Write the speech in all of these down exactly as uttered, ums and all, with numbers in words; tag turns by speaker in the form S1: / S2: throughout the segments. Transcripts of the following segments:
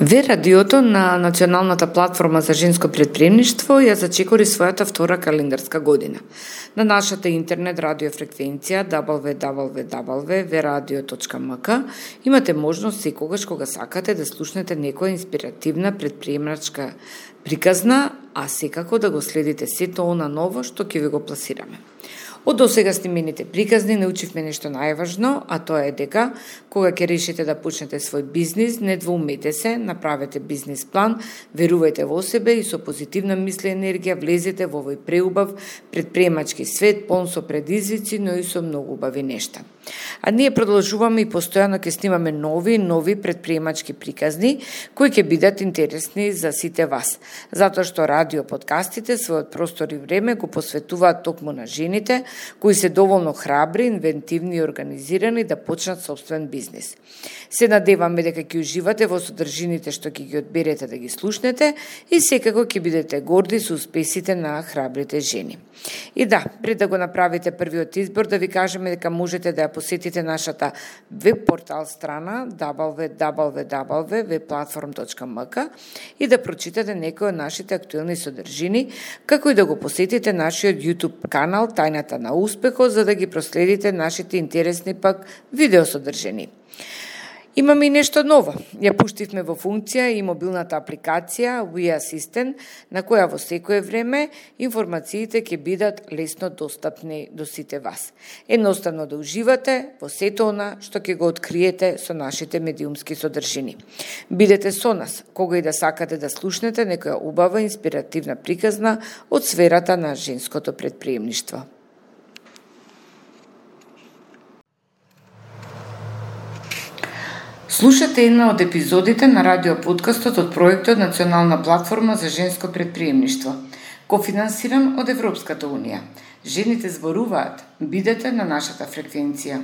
S1: Ве радиото на Националната платформа за женско претприемништво ја зачекори својата втора календарска година. На нашата интернет радио фреквенција дабл ю дабл ю дабл ю точка ве радио точка ем ка имате можност секогаш кога сакате да слушнете некоја инспиративна претприемачка приказна, а секако да го следите сето она ново што ќе ви го пласираме. Од досега снимените приказни научивме нешто најважно, а тоа е дека кога ќе решите да почнете свој бизнис, не двоумете се, направете бизнис план, верувајте во себе и со позитивна мисли енергија влезете во овој преубав претприемачки свет, полн со предизвици, но и со многу убави нешта. А ние продолжуваме и постојано ќе снимаме нови нови претприемачки приказни кои ќе бидат интересни за сите вас, затоа што радио подкастите својот простор и време го посветуваат токму на жените кои се доволно храбри, инвентивни и организирани да почнат собствен бизнис. Се надеваме дека ќе уживате во содржините што ќе ги одберете да ги слушнете и секако ќе бидете горди со успесите на храбрите жени. И да, пред да го направите првиот избор, да ви кажеме дека можете да ја посетите нашата веб портал страна дабл ю дабл ю дабл ю точка ве платформ точка ем ка и да прочитате некои од нашите актуелни содржини, како и да го посетите нашиот YouTube канал Тајната на успехот, за да ги проследите нашите интересни пак видеосодржини. Имаме и нешто ново. Ја пуштивме во функција и мобилната апликација We Assistant, на која во секое време информациите ќе бидат лесно достапни до сите вас. Едноставно да уживате во сето она што ќе го откриете со нашите медиумски содржини. Бидете со нас, кога и да сакате да слушнете некоја убава инспиративна приказна од сферата на женското претприемништво. Слушате една од епизодите на радиоподкастот од проектот Национална платформа за женско претприемништво, кофинансиран од Европската унија. Жените зборуваат, бидете на нашата фреквенција.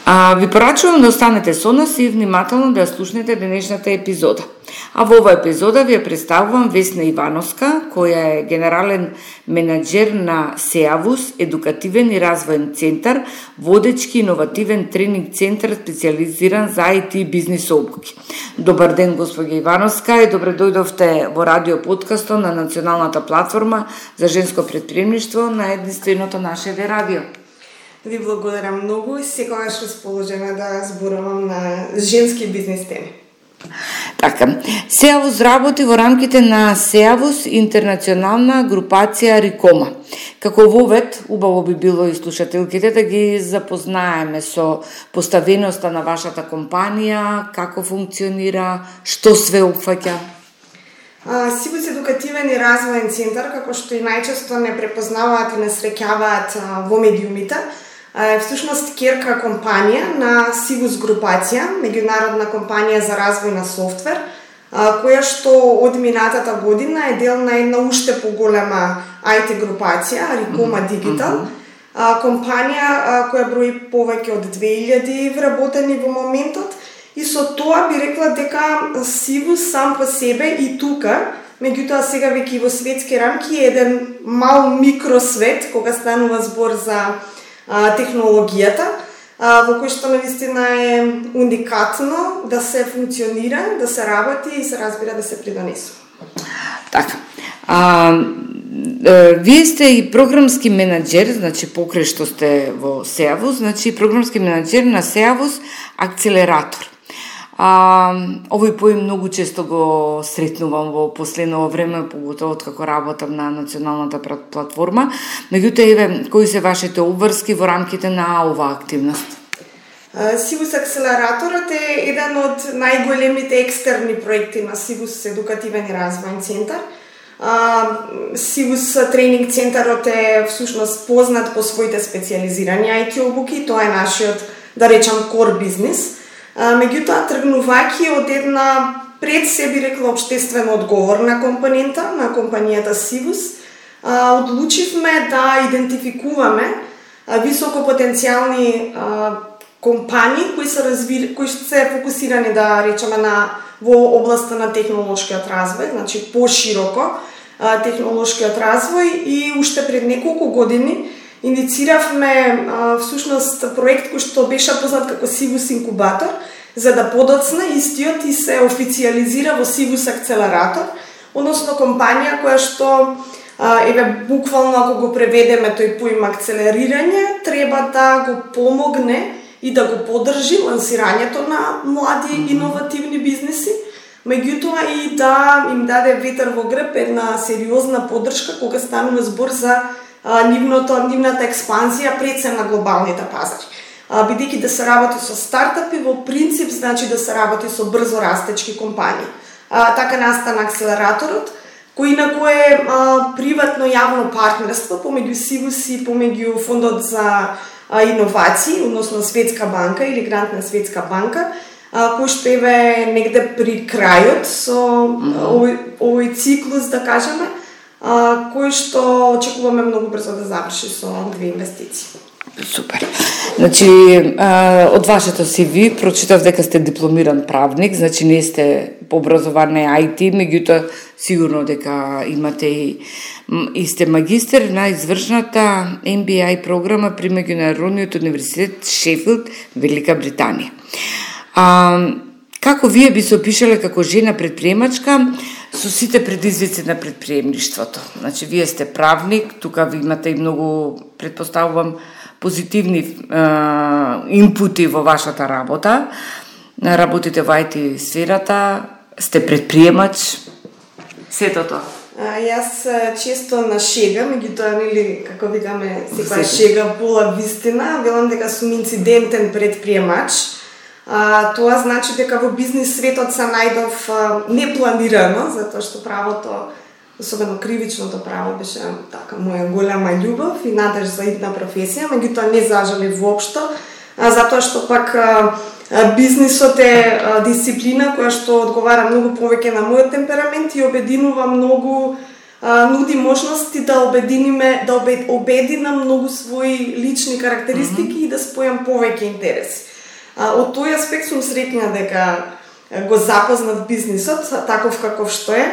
S1: А, ви порачувам да останете со нас и внимателно да ја слушнете денешната епизода. А во оваа епизода ви ја представувам Весна Ивановска, која е генерален менаџер на СЕАВУС, едукативен и развоен центар, водечки иновативен тренинг центар специализиран за ай ти бизнис обуки. Добар ден, господја Ивановска, и добре дојдовте во радио подкастот на Националната платформа за женско претприемништво на единственото наше ве радио.
S2: Ви благодарам многу и секогаш расположена да зборувам на женски бизнес теми.
S1: Така, СЕАВУС работи во рамките на СЕАВУС интернационална групација Рикома. Како вовед, убаво би било и слушателките да ги запознаеме со поставеноста на вашата компанија, како функционира, што све опфаќа.
S2: СЕАВУС едукативен и развоен центар, како што и најчесто не препознаваат и не среќаваат во медиумите, е всушност керка компанија на СЕАВУС групација, меѓународна компанија за развој на софтвер, која што од минатата година е дел на една уште поголема ай ти групација, Рикома Дигитал, компанија која брои повеќе од две илјади вработени во моментот, и со тоа би рекла дека СЕАВУС сам по себе и тука, меѓутоа сега веќе во светски рамки е еден мал микросвет кога станува збор за а, технологијата, а, во кој што навистина е уникатно да се функционира, да се работи и се разбира да се придонесува.
S1: Така. А, вие сте и програмски менаџер, значи покрај што сте во СЕАВУС, значи програмски менаџер на СЕАВУС Акцелератор. А, овој поим многу често го сретнувам во последно време, поготово како работам на Националната платформа. Меѓутоа, еве, кои се вашите обврски во рамките на оваа активност?
S2: СЕАВУС Акцелераторот е еден од најголемите екстерни проекти на СЕАВУС едукативен и развоен центар. СЕАВУС тренинг центарот е всушност познат по своите специализирани ай ти обуки, тоа е нашиот, да речам, кор бизнес. Меѓутоа, тргнувајќи од една пред се би рекла општествено одговорна компонента на компанијата СЕАВУС, одлучивме да идентификуваме високопотенцијални компании кои се разви... кои се фокусирани, да речеме, на во областа на технолошкиот развој, значи пошироко технолошкиот развој, и уште пред неколку години иницииравме всушност проект кој што беше познат како СЕАВУС инкубатор, за да подоцна истиот и се официализира во Civus Акселератор, односно компанија која што а, еве буквално ако го преведеме тој поим акцелерирање, треба да го помогне и да го поддржи лансирањето на млади иновативни бизнеси, меѓутоа и да им даде ветер во грб, една сериозна поддршка кога станува збор за а, нивното, нивната експанзија пред се на глобалните пазари. А, бидејќи да се работи со стартапи, во принцип значи да се работи со брзо растечки компании. А, така настана акселераторот, кој инаку е а, приватно јавно партнерство помеѓу Civus и помеѓу Фондот за а, иновации, односно Светска банка или Грант на Светска банка, а, кој што еве негде при крајот со овој, овој циклус, да кажеме, а, кој што очекуваме многу брзо да заврши со две инвестиции.
S1: Супер. Значи, од вашето си ви прочитав дека сте дипломиран правник, значи не сте по образование ај ти, меѓутоа сигурно дека имате и, и сте магистер на извршната Ем Би Ей програма при Меѓународниот универзитет Шефилд, Велика Британија. А, како вие би се опишале како жена предприемачка со сите предизвици на предприемништвото? Значи, вие сте правник, тука ви имате и многу, предпоставувам, позитивни е, инпути во вашата работа. Работите во ај ти сферата, сте предприемач, сето тоа.
S2: А, јас често на шега, меѓутоа нели како викаме секоја шега пола вистина, велам дека сум инцидентен предприемач. А, тоа значи дека во бизнис светот се најдов а, непланирано, затоа што правото, особено кривичното право, беше така моја голема љубов и надеж за идна професија, меѓутоа не зажали воопшто, а, затоа што пак а, а, бизнисот е а, дисциплина која што одговара многу повеќе на мојот темперамент и обединува многу, а, нуди можности да обединиме, да обединам многу своји лични карактеристики mm-hmm. и да спојам повеќе интереси. А, од тој аспект сум среќна дека го запознав бизнисот таков каков што е.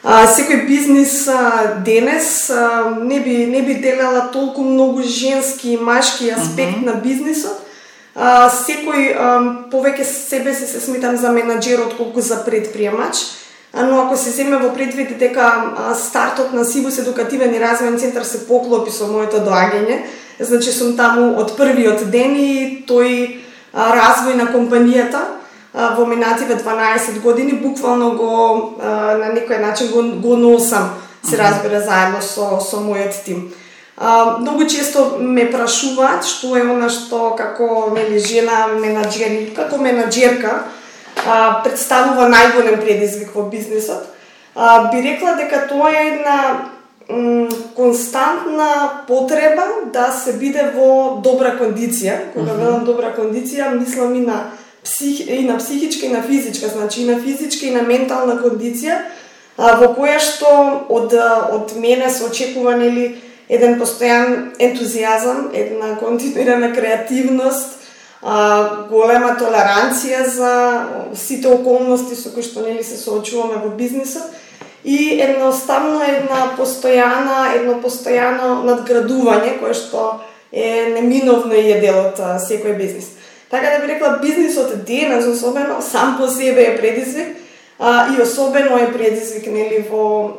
S2: А, секој бизнис а, денес а, не би не би делела толку многу женски и машки аспект uh-huh. на бизнисот. А, секој а, повеќе себе се се смитам за менаџер отколку за предприемач. А, но ако се земе во предвид дека а, стартот на Civus едукативен и развоен центар се поклопи со моето доаѓање, значи сум таму од првиот ден и тој а, развој на компанијата во минативе дванаесет години буквално го на некој начин го, го носам, се разбира, заедно со со мојот тим. А, многу често ме прашуваат што е она што како нели жена менаџер, како менаџерка а, представува најголем предизвик во бизнисот. А, би рекла дека тоа е една м, константна потреба да се биде во добра кондиција. Кога велам добра кондиција, мислам и на Псих, и на психичка и на физичка, значи и на физичка и на ментална кондиција, а, во која што од, од мене се очекува нели еден постојан ентузијазам, една континуирана креативност, а, голема толеранција за сите околности со кои што нели се соочуваме во бизнисот и едноставно една постојана, едно постојано надградување кое што е неминовно и е дел од секој бизнис. Така да би рекла, бизнисот денес особено сам по себе е предизвик а, и особено е предизвик нели во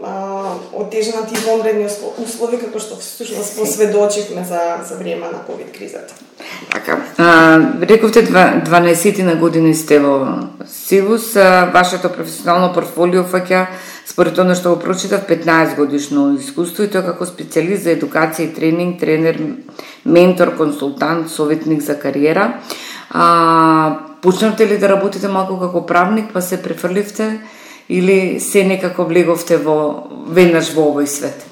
S2: отежнати и вонредни услови како што всушност посведочивме за за време на ковид кризата.
S1: Така, а, рековте дванаесет на години сте во Civus, а, вашето професионално портфолио фаќа според она што го прочитав петнаесет годишно искуство и тоа како специјалист за едукација и тренинг, тренер, ментор, консултант, советник за кариера. А, почнавте ли да работите малку како правник, па се префрливте или се некако влеговте во веднаш во овој свет?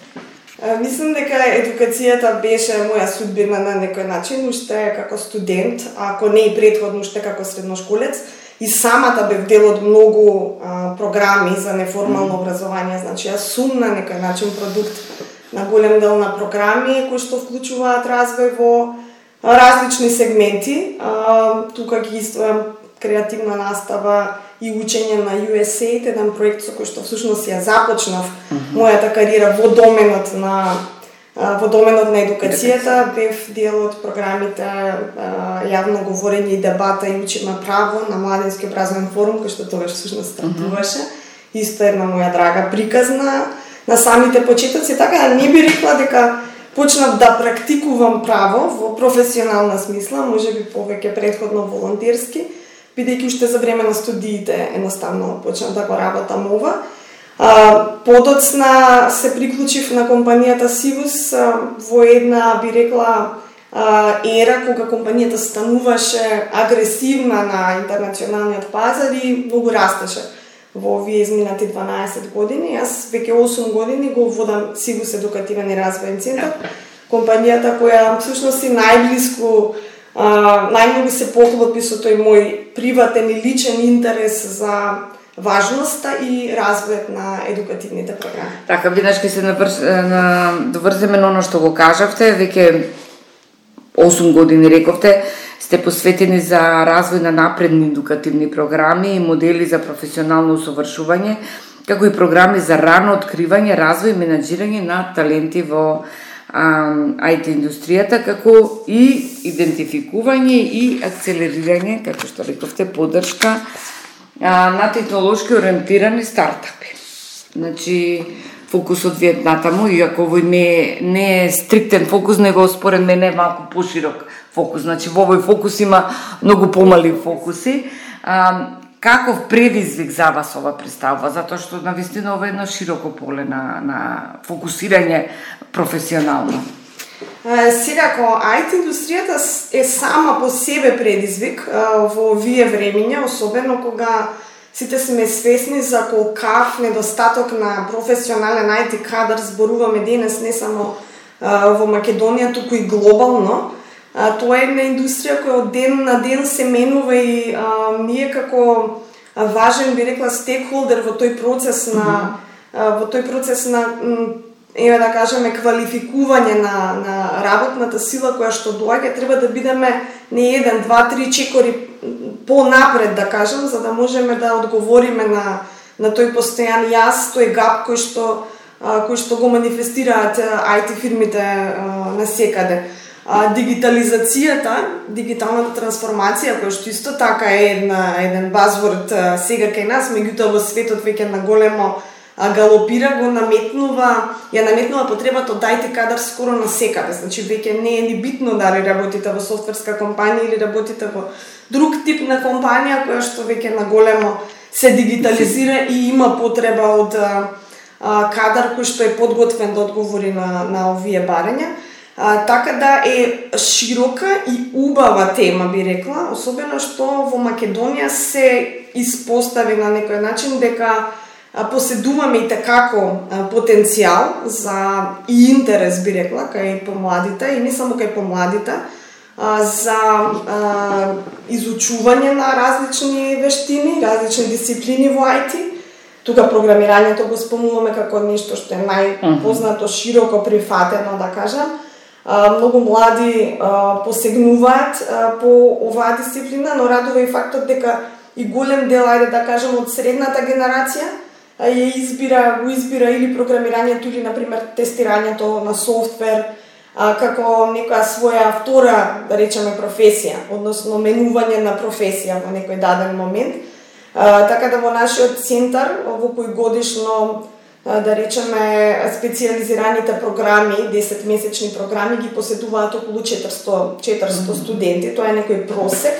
S2: А, мислам дека едукацијата беше моја судбина на некој начин, уште како студент, ако не и претходно уште како средношколец, и самата бев дел од многу а, програми за неформално образование, значи јас сум на некој начин продукт на голем дел на програми кои што вклучуваат развој во различни сегменти. А, тука ги истојам креативна настава и учење на ю ес ей еден проект со кој што всушност ја започнав mm-hmm. мојата кариера во доменот на во доменот на едукацијата, бев дел од програмите јавно говорење и дебата и учиме право на Младински образовен форум, кој што тогаш всушност стартуваше. Mm-hmm. Исто една моја драга приказна на самите почетоци, така да не би рекла дека почнав да практикувам право во професионална смисла, можеби повеќе претходно волонтерски, бидејќи уште за време на студиите едноставно почнав да го работам ова. А, подоцна се приклучив на компанијата Сивус а, во една, би рекла, а, ера кога компанијата стануваше агресивна на интернационалниот пазар и многу растеше во овие изминати дванаесет години. Јас веќе осум години го водам Сивус едукативен и развоен центар, компанијата која всушност и најблиску, а, најмногу се поклопи со тој мој приватен и личен интерес за важноста и развојот на едукативните програми.
S1: Така, веднаш ќе се наврш, на, доврземе на оно што го кажавте, веќе осум години рековте, сте посветени за развој на напредни едукативни програми и модели за професионално усовршување, како и програми за рано откривање, развој и менаџирање на таленти во ај ти индустријата, како и идентификување и акцелерирање, како што рековте, поддршка на технолошки ориентирани стартапи. Значи, фокусот ви е натаму, иако овој не, не е стриктен фокус, него според мене е малку поширок фокус. Значи, во овој фокус има многу помали фокуси. А, каков предизвик за вас ова представува? Затоа што навистина ова е едно широко поле на, на фокусирање професионално.
S2: Сега, кога ај ти индустријата е сама по себе предизвик во овие времиња, особено кога сите сме свесни за колкав недостаток на професионален ај ти кадар зборуваме денес не само во Македонија, туку и глобално. Тоа е една индустрија која од ден на ден се менува и а, ние како важен, би рекла, стейкхолдер во тој процес на mm-hmm. во тој процес на еве да кажеме квалификување на на работната сила која што доаѓа, треба да бидеме не еден, два, три чекори понапред, да кажам, за да можеме да одговориме на на тој постојан јас, тој гап кој што кој што го манифестираат ај ти фирмите насекаде. Дигитализацијата, дигиталната трансформација, која што исто така е една еден базворд сега кај нас, меѓутоа во светот веќе на големо галопира, го наметнува, ја наметнува потребата од ај ти кадар скоро насекаде. Значи веќе не е ни битно дали работите во софтверска компанија или работите во друг тип на компанија која што веќе на големо се дигитализира и има потреба од а, кадар кој што е подготвен да одговори на на овие барања. А, така да е широка и убава тема, би рекла, особено што во Македонија се испостави на некој начин дека поседуваме и такако потенцијал за и интерес, би рекла, кај помладите и не само кај помладите, за изучување на различни вештини, различни дисциплини во ај ти. Тука програмирањето го спомнуваме како нешто што е најпознато, широко прифатено, да кажам. Многу млади посегнуваат по оваа дисциплина, но радува и фактот дека и голем дел, ајде да кажем, од средната генерација ја избира, го избира или програмирањето или, например, тестирањето на софтвер како некоја своја втора, да речеме, професија, односно менување на професија во некој даден момент. Така да во нашиот центар, во кој годишно, да речеме, специјализираните програми, десетмесечни програми, ги поседуваат околу четиристо студенти, тоа е некој просек.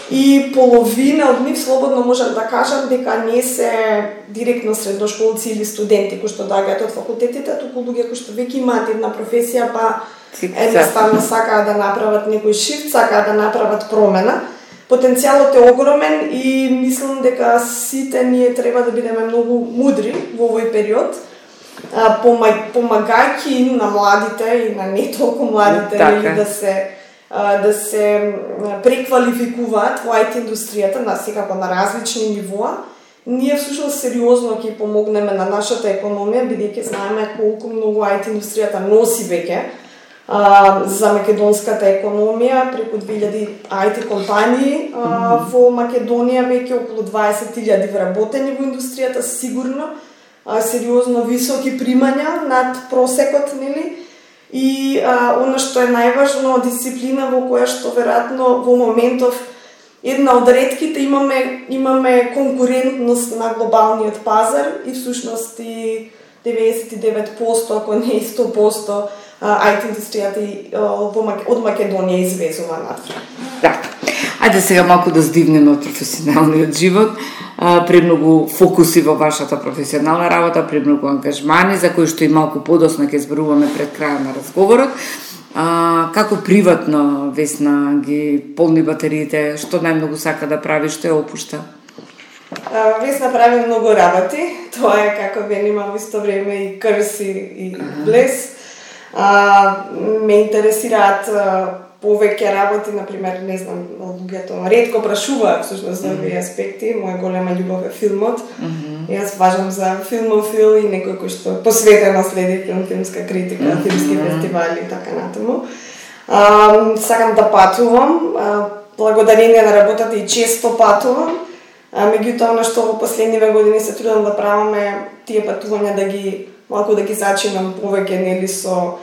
S2: И половина од нив, слободно можам да кажам, дека не се директно средношколци или студенти кои што доаѓаат од факултетите, туку луѓе кои што веќе имаат една професија, па едноставно сакаат да направат некој шифт, сакаат да направат промена. Потенцијалот е огромен и мислам дека сите ние треба да бидеме многу мудри во овој период, помагајќи на младите и на не толку младите или да се да се преквалификуваат во ај ти индустријата, на секако на различни нивоа. Ние всушност сериозно ќе помогнеме на нашата економија, бидејќи знаеме колку многу ај ти индустријата носи веќе за македонската економија, преку две илјади ај ти компании а, во Македонија, веќе околу дваесет илјади вработени во индустријата, сигурно, а, сериозно високи примања над просекот, нели? и а, оно што е најважно, дисциплина во која што веројатно во моментов една од ретките имаме имаме конкурентност на глобалниот пазар и всушност и деветдесет и девет проценти, ако не и сто проценти ай ти индустријата од Македонија извезува надвор.
S1: Да. Ајде сега малку да здивнеме од професионалниот живот. Премногу фокуси во вашата професионална работа, премногу ангажмани, за кои што и малку подоцна ќе зборуваме пред крајот на разговорот. А, како приватно Весна ги полни батериите, што најмногу сака да прави, што ја опушта?
S2: А, Весна прави многу работи, тоа е како венима во исто време и крси и блес. А, ме интересираат а, повеќе работи, например, не знам, луѓето ретко прашуваат всушност за овие аспекти. Моја голема љубов е филмот. Mm -hmm. Јас важам за филмофил и некој кој што посветено следи филм, филмска критика, mm -hmm. филмски фестивали и така натаму. А, сакам да патувам, а, благодарение на работата и често патувам. А, меѓутоа, она што во последниве години се трудам да праваме тие патувања да ги малку да ги зачинам повеќе, нели, со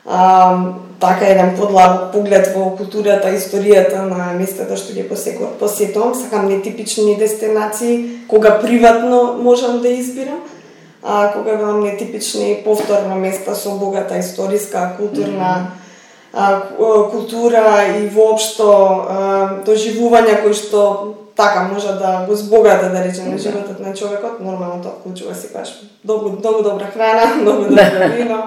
S2: а, така еден подлабок поглед во културата, историјата на местата што ги посетувам. Сакам нетипични дестинации, кога приватно можам да избирам, а кога велам нетипични повторно места со богата историска, културна а, култура и воопшто а, доживувања кои што така може да го збогата, да речеме, животот на човекот. Нормално тоа вклучува си баш многу, многу добра храна, многу добро вино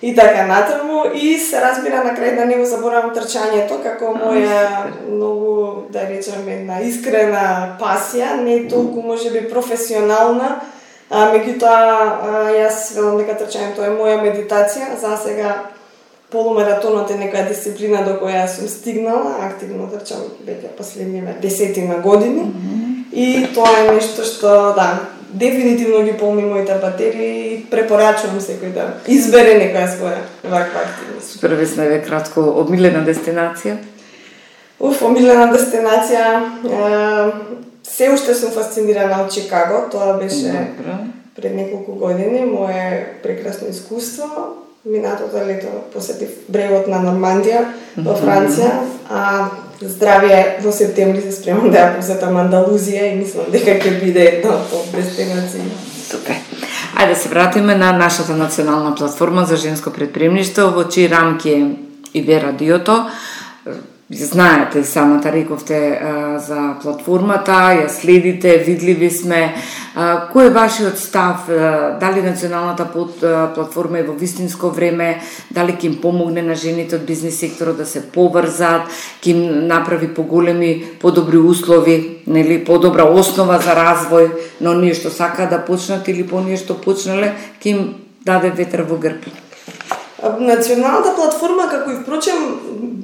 S2: и така натаму. И се разбира на крај да не го заборавам трчањето како моја многу, да речеме, една искрена пасија, не толку можеби професионална, а меѓутоа јас велам дека трчањето е моја медитација. За сега полумаратонот е некоја дисциплина до која сум стигнала, активно трчам веќе последниве десетина години. Mm -hmm. И тоа е нешто што, да, дефинитивно ги полни моите батерии и препорачувам секој да избере некоја своја ваква активност.
S1: Супер, Весна, е кратко, омилена дестинација?
S2: Уф, омилена дестинација, е, се уште сум фасцинирана од Чикаго, тоа беше Добре. пред неколку години, мое прекрасно искуство. Минатото лето посетив брегот на Нормандија во Франција, а здравје во септември се спремам да ја посетам Андалузија и мислам дека ќе биде една од дестинации.
S1: Супер. Ајде да се вратиме на нашата национална платформа за женско предприемништво, во чии рамки е и ве радиото. Знаете, самата рековте а, за платформата, ја следите, видливи сме. А, кој е вашиот став? А, дали националната под, а, платформа е во вистинско време? Дали ќе им помогне на жените од бизнес секторот да се поврзат? Ќе им направи поголеми, подобри услови, нели, подобра основа за развој, но ние што сака да почнат или по ние што почнале, ќе им даде ветер во грб?
S2: Националната платформа, како и впрочем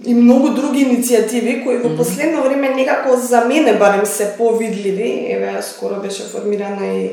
S2: и многу други иницијативи кои во последно време некако за мене барем се повидливи, еве скоро беше формирана и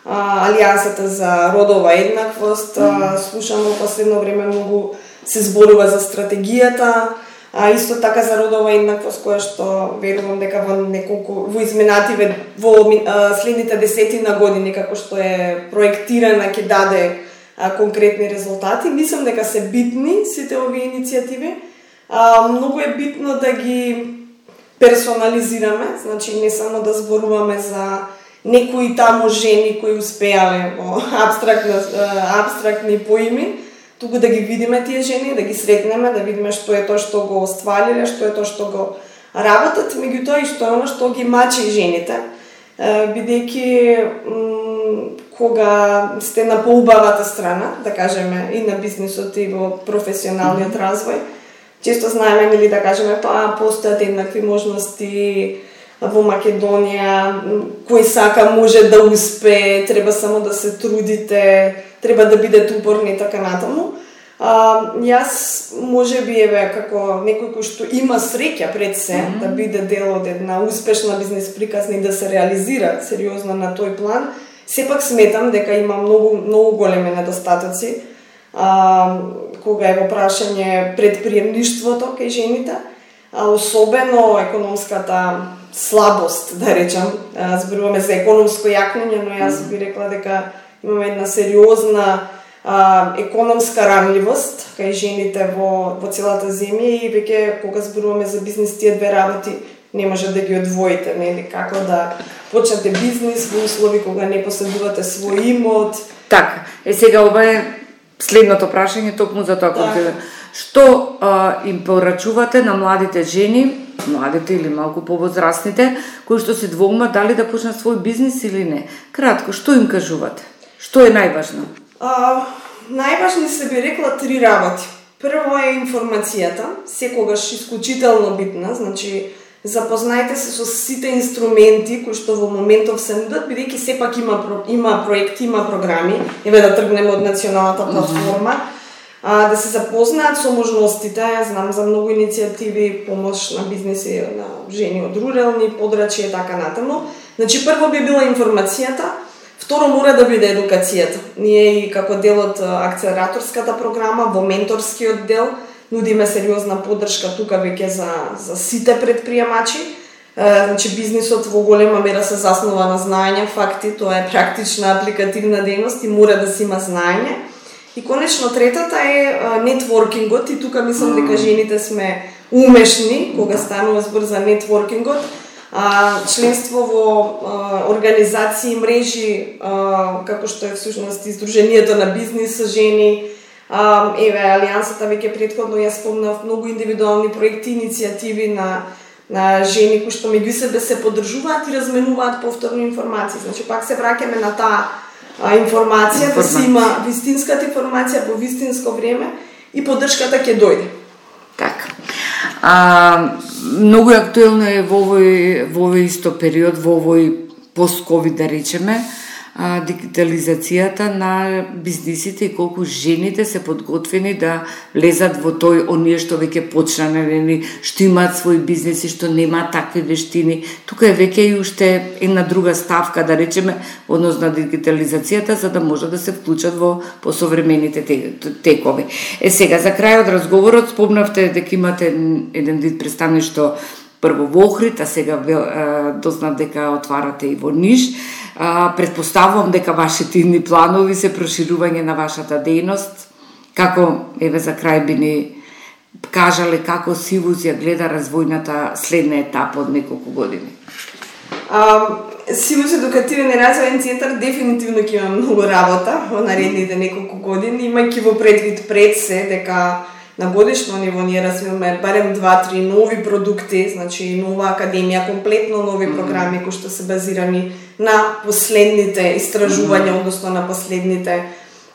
S2: а, Алијансата за родова еднаквост, а, слушам во последно време многу се зборува за стратегијата, а исто така за родова еднаквост, која што верувам дека во неколку во изминативе во а, следните десетина години како што е проектирана ќе даде а, конкретни резултати. Мислам дека се битни сите овие иницијативи. А, многу е битно да ги персонализираме, значи не само да зборуваме за некои таму жени кои успеале во абстрактни, абстрактни поими, туку да ги видиме тие жени, да ги сретнеме, да видиме што е тоа што го оствалиле, што е тоа што го работат, меѓутоа и што е оно што ги мачи жените, бидејќи кога сте на поубавата страна, да кажеме, и на бизнисот и во професионалниот развој, често знаеме, нели, да кажеме, па постојат еднакви можности во Македонија, кој сака може да успее, треба само да се трудите, треба да бидете упорни и така натаму. А, јас можеби еве како некој кој што има среќа пред се mm -hmm. да биде дел од една успешна бизнес приказна и да се реализира сериозно на тој план, сепак сметам дека има многу многу големи недостатоци. А, кога е во прашање предприемништвото кај жените, а особено економската слабост, да речам, зборуваме за економско јакнење, но јас би рекла дека имаме една сериозна а, економска ранливост кај жените во, во целата земја и веќе кога зборуваме за бизнис, тие две работи не може да ги одвоите, нели, како да почнете бизнис во услови кога не поседувате свој имот.
S1: Така, е сега ова е следното прашање токму за тоа. Да. Што а, им порачувате на младите жени, младите или малку повозрастните, кои што се двоумат дали да почнат свој бизнис или не? Кратко, што им кажувате? Што е најважно?
S2: А, најважни се би рекла три работи. Прво е информацијата, секогаш исклучително битна, значи запознајте се со сите инструменти кои што во моментов се нудат, бидејќи сепак има има проекти, има програми, еве да тргнеме од националната платформа, а, да се запознаат со можностите. Знам за многу иницијативи, помош на бизниси на жени од рурални подрачја и така натаму. Значи прво би била информацијата, второ мора да биде едукацијата. Ние и како дел од акцелераторската програма во менторскиот дел нудиме сериозна поддршка тука веќе за за сите предприемачи. Е, значи бизнисот во голема мера се заснова на знаење, факти, тоа е практична апликативна дејност и мора да се има знаење. И конечно третата е нетворкингот и тука мислам дека жените сме умешни кога станува збор за нетворкингот. А, членство во а, организации, мрежи, а, како што е всушност Издруженијето на бизнис со жени, а, еве Алијансата веќе претходно ја спомнав, многу индивидуални проекти, иницијативи на на жени кои што меѓу себе се поддржуваат и разменуваат повторно информации. Значи пак се враќаме на таа а, информација, да се има вистинската информација во вистинско време и поддршката ќе дојде.
S1: Така. А, многу актуелно е во овој, во овој исто период, во овој пост-ковид, да речеме, а, дигитализацијата на бизнисите и колку жените се подготвени да влезат во тој оние што веќе почнале, што имаат свој бизнис и што немаат такви вештини. Тука е веќе и уште една друга ставка, да речеме, однос на дигитализацијата, за да може да се вклучат во посовремените текови. Е сега, за крај од разговорот, спомнавте дека имате еден вид представништво прво во Охрид, а сега дознав дека отварате и во Ниш. А, предпоставувам дека вашите идни планови се проширување на вашата дејност. Како, еве за крај би ни кажале како Сивус ја гледа развојната следна етапа од неколку години?
S2: А, Сивус едукативен и развојен центар дефинитивно ќе има многу работа во наредните неколку години, имајќи во предвид пред се дека на годишно ниво ние развиваме барем два-три нови продукти, значи нова академија, комплетно нови програми кои што се базирани на последните истражувања, односно на последните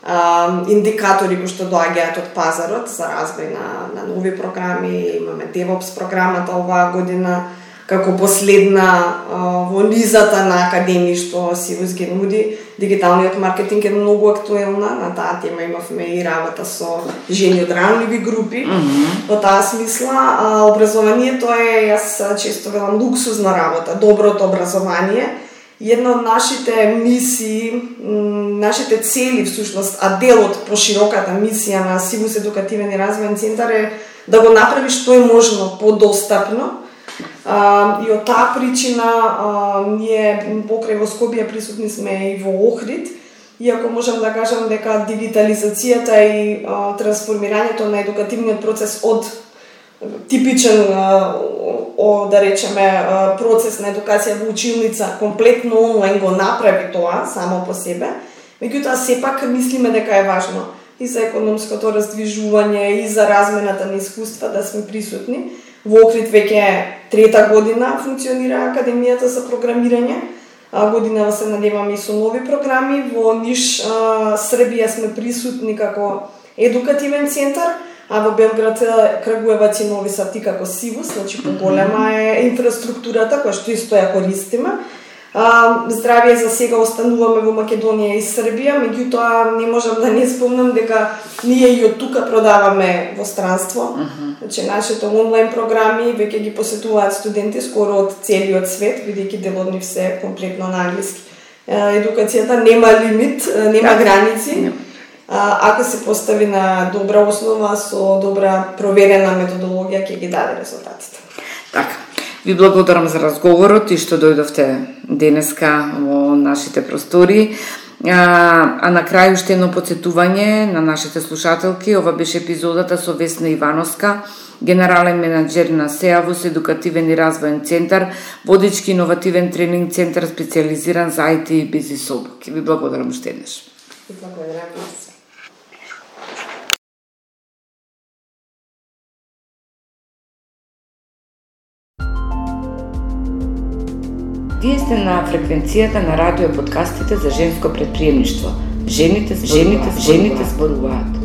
S2: а, индикатори кои што доаѓаат од пазарот за развој на, на нови програми. Имаме DevOps програмата оваа година како последна а, во низата на академии што Сивус ги нуди. Дигиталниот маркетинг е многу актуелна, на таа тема имавме и работа со жени од ранливи групи. Mm -hmm. Во таа смисла, а, образованието е, јас често велам, луксузна работа, доброто образование. Една од нашите мисии, нашите цели всушност, а дел од пошироката мисија на Сивус едукативен и развојен центар е да го направи што е можно подостапно. Uh, и од таа причина uh, ние покрај во Скопје присутни сме и во Охрид, иако можам да кажам дека дигитализацијата и uh, трансформирањето на едукативниот процес од типичен uh, о, да речеме uh, процес на едукација во училница комплетно онлайн го направи тоа само по себе, меѓутоа сепак мислиме дека е важно и за економското раздвижување и за размената на искуства да сме присутни. Во Охрид веќе трета година функционира Академијата за програмирање. Година се надеваме и со нови програми. Во Ниш, Србија сме присутни како едукативен центар, а во Белград, Крагуевац и Нови Сад како Сивус, значи поголема е инфраструктурата која што исто ја користиме. Здравје за сега остануваме во Македонија и Србија, меѓутоа не можам да не спомнам дека ние и од тука продаваме во странство. Uh -huh. Значи нашите онлайн програми веќе ги посетуваат студенти скоро од целиот свет, бидејќи дел од нив се комплетно на англиски. Едукацијата нема лимит, нема да, граници. Не. Ако се постави на добра основа со добра проверена методологија ќе ги даде резултатите.
S1: Така. Ви благодарам за разговорот и што дојдовте денеска во нашите простори. А, а на крај уште едно подсетување на нашите слушателки. Ова беше епизодата со Весна Ивановска, генерален менаџер на СЕАВОС, едукативен и развоен центар, водички иновативен тренинг центар специализиран за ај ти и бизнис обуки. Ви благодарам уште еднаш.
S2: Благодарам се.
S1: Вие сте на фреквенцијата на радио подкастите за женско предприемништво. Жените, жените, жените зборуваат.